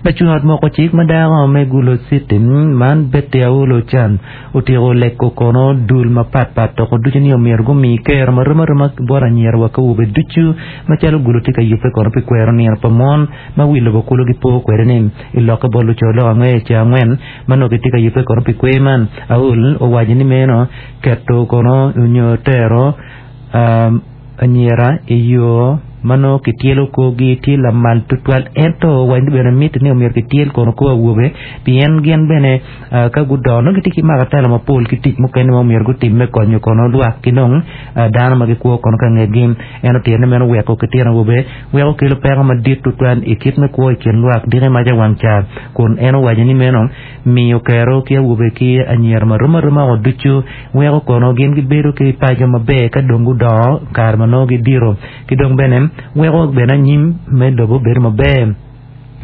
Lacung ot moko cik ma dako me Gulu City man Betty Aulu Chan otyeko leko kono dul mapat pat toko ducu ni omyero gumi kero marom aroma bot anyira wa ki awobe ducu macalo Gulu tye ka yubbe kono pi kwero nino pa mon ma wi lobo kulu gipo kwede ni i lokke bot luco lok angwe ca angwen ma nongo gitye ka yubbe kono pi kwer man. Aul owaco ni meno keto kono nyo tero anyira i yo ma nongo kityelo korgi tye lamal tutwal ento owaco ni bene mitte ni omyero kityel kono kor awobe pien gin bene ka gudongo nongo gitye ki makatala mapol ki tic mukene ma omyero gutim me konyo kono lwak ki dong dano ma gikwo kono ka ngetgi. En otito ni meno weko kitino awobe weko kelo peko madit tutwal i kit me kwo i kin lwak diki maca wang ca kun en owaco ni meno miyo kero ki awobe ki anyira marom aroma o ducu weko kono gin gibedo ki paco maber ka dong gudongo kare ma nongo gidito ki dong bene weko bene anyim me lobo bedo maber.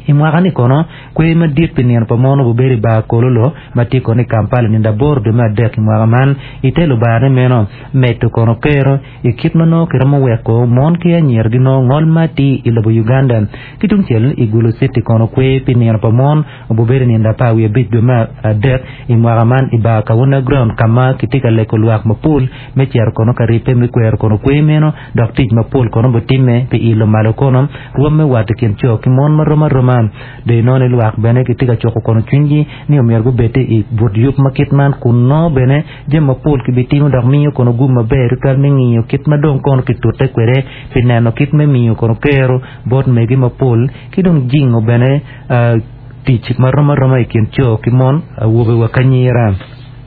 I mwaka-ni kono, kwer madit pi nino pa mon obibedo i bar Kololo ma tye kono i Kampala i nino aboro dwe me adek i mwaka man. I te lubarane meno, medo kono kero i kit ma nongo kiromo weko mon ki anyira ginongo ngol ma atir i lobo Uganda. Ki tungcel, i Gulu City kono kwer pi nino pa mon obibedo i nino 15 dwe me adek i mwaka man i bar Kawuna Ground ka ma kitye ka lego lwak mapol me cito kono ka ribbe me kwero kono kwer meno dok tic mapol kono bitimme pi ilo malo kono rwom me wat i kin co ki mon marom aroma. Dong inongo ni lwak bene gitye ka cuko kono cwinygi ni omyero gubed i but yub ma kit man kun nongo bene jami mapol kibitimo dok miyo kono gum maber tutwal me ngiyo kit ma dong kono kitute kwede pi neno kit me miyo kono kero bot mege mapol ki dong jingo bene tic marom aroma i kin co ki mon, awobe wa ki anyira.